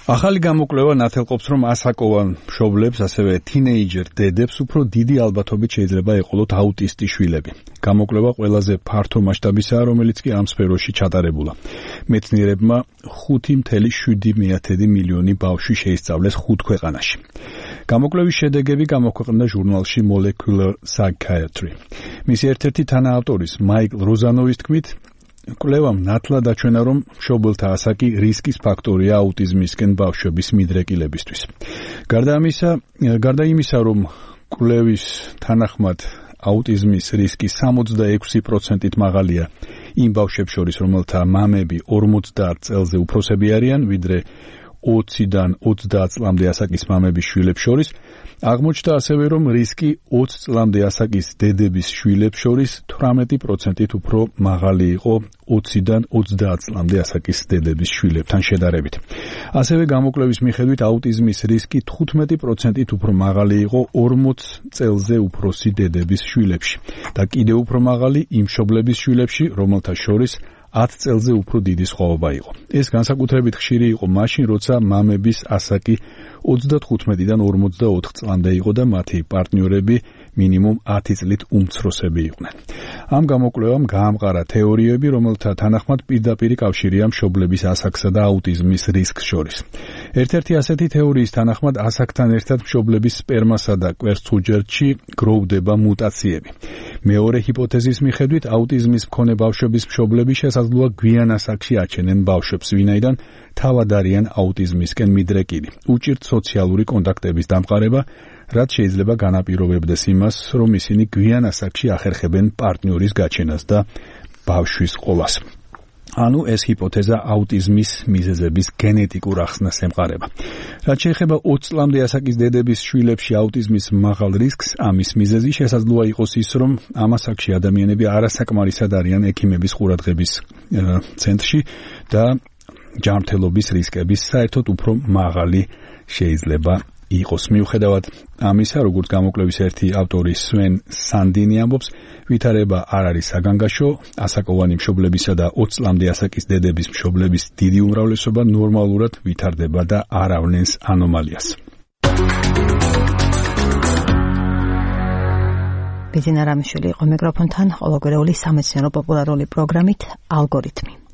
ახალი გამოკვლევა ნათელყოფს, რომ ასაკოვან მშობლებს, ასევე თინეიჯერ დედებს უფრო დიდი ალბათობით შეიძლება ეყოლოთ აუტისტი შვილები. გამოკვლევა ყველაზე ფართო მასშტაბისაა, რომელიც კი ამ სფეროში ჩატარებულა. მეცნიერებმა 5.7 მილიონი ბავშვი შეისწავლეს 5 ქვეყანაში. გამოკვლევის შედეგები გამოქვეყნდა ჟურნალში Molecular Psychiatry. მისი ერთ-ერთი თანაავტორის მაიკლ როზანოვის თქმით, კვლევამ ნათლად აჩვენა, რომ მშობელთა ასაკი რისკის ფაქტორია აუტიზმისკენ ბავშვების მიდრეკილებისთვის. გარდა იმისა, რომ კვლევის თანახმად აუტიზმის რისკი 66%-ით მაღალია იმ ბავშვებს შორის, რომელთა მამები 50 წელზე უფროსები არიან, ვიდრე 20-დან 30 წლამდე ასაკის მამების შვილებს შორის, აღმოჩნდა ასევე, რომ რისკი 20 წლამდე ასაკის დედების შვილებს შორის 18%-ით უფრო მაღალი იყო 20-დან 30 წლამდე ასაკის დედების შვილებთან შედარებით. ასევე გამოკვლევის მიხედვით აუტიზმის რისკი 15%-ით უფრო მაღალი იყო 40 წელზე უფროსი დედების შვილებში და კიდევ უფრო მაღალი იმ მშობლების შვილებში, რომელთა შორის 10 წელზე უფრო დიდი სხვაობა იყო. ეს განსაკუთრებით ხშირი იყო მაშინ, როცა მამების ასაკი 35-დან 44 წლამდე იყო და მათი პარტნიორები მინიმუმ 10 წლით უმცროსები იყვნენ. ამ გამოკვლევამ გაამყარა თეორიები, რომელთა თანახმად პირდაპირი კავშირია მშობლების ასაკსა და აუტიზმის რისკს შორის. ერთ-ერთი ასეთი თეორიის თანახმად ასაკთან ერთად მშობლების სპერმასა და კვერცხუჯერდში გროვდება მუტაციები. მეორე ჰიპოთეზის მიხედვით აუტიზმის მქონე ბავშვების მშობლები შესაძლოა გვიან ასაკში აჩენენ ბავშვებს, ვინაიდან თავად არიან აუტიზმისკენ მიდრეკილი. უჭირთ სოციალური კონტაქტების დამყარება, რაც შეიძლება განაპირობებდეს იმას, რომ ისინი გვიან ასაკში ახერხებენ პარტნიორის გაჩენას და ბავშვის ყოლას. ანუ ეს ჰიპოთეზა აუტიზმის მიზეზების გენეტიკურ ახსნას ემყარება. რაც შეეხება 20 წლამდე ასაკის დედების შვილებში აუტიზმის მაღალ რისკს, ამის მიზეზი შესაძლოა იყოს ის, რომ ამ ასაკში ადამიანები არასაკმარისად არიან ექიმების ყურადღების ცენტრში და ჯანმრთელობის რისკების საერთოდ უფრო მაღალი შეიძლება იყოს. მიუხედავად ამისა, როგორც გამოკვლევის ერთი ავტორი სვენ სანდინი ამბობს, ვითარება არ არის საგანგაშო, ასაკოვანი მშობლებისა და 20 წლამდე ასაკის დედების მშობლების დიდი უმრავლესობა ნორმალურად ვითარდება და არ ავნენს ანომალიას. ბიძინა რამიშვილი იყო მიკროფონთან, ყოველგვარეული სამეცნიერო პოპულარული პროგრამით ალგორითმი.